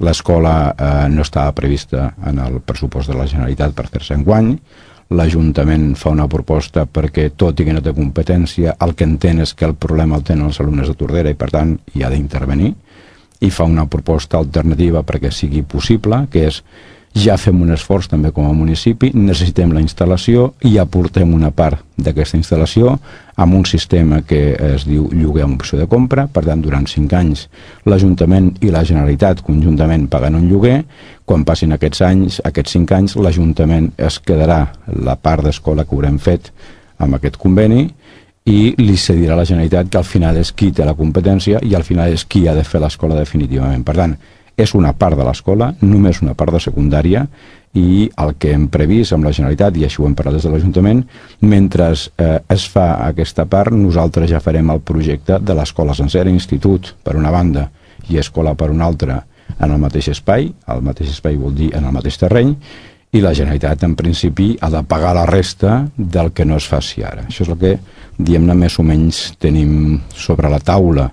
L'escola no estava prevista en el pressupost de la Generalitat per fer-se enguany. L'Ajuntament fa una proposta perquè, tot i que no té competència, el que entén és que el problema el tenen els alumnes de Tordera i, per tant, hi ha d'intervenir, i fa una proposta alternativa perquè sigui possible, que és: ja fem un esforç també com a municipi, necessitem la instal·lació i aportem una part d'aquesta instal·lació amb un sistema que es diu lloguer amb opció de compra. Per tant, durant 5 anys l'Ajuntament i la Generalitat conjuntament paguen un lloguer. Quan passin aquests 5 anys, l'Ajuntament es quedarà la part d'escola que haurem fet amb aquest conveni i li cedirà a la Generalitat, que al final és qui té la competència i al final és qui ha de fer l'escola definitivament. Per tant, és una part de l'escola, només una part de secundària, i el que hem previst amb la Generalitat, i així ho hem parlat des de l'Ajuntament, mentre es fa aquesta part, nosaltres ja farem el projecte de l'escola sencera, institut per una banda i escola per una altra, en el mateix espai. El mateix espai vol dir en el mateix terreny, i la Generalitat en principi ha de pagar la resta del que no es faci ara. Això és el que, diguem-ne, més o menys tenim sobre la taula.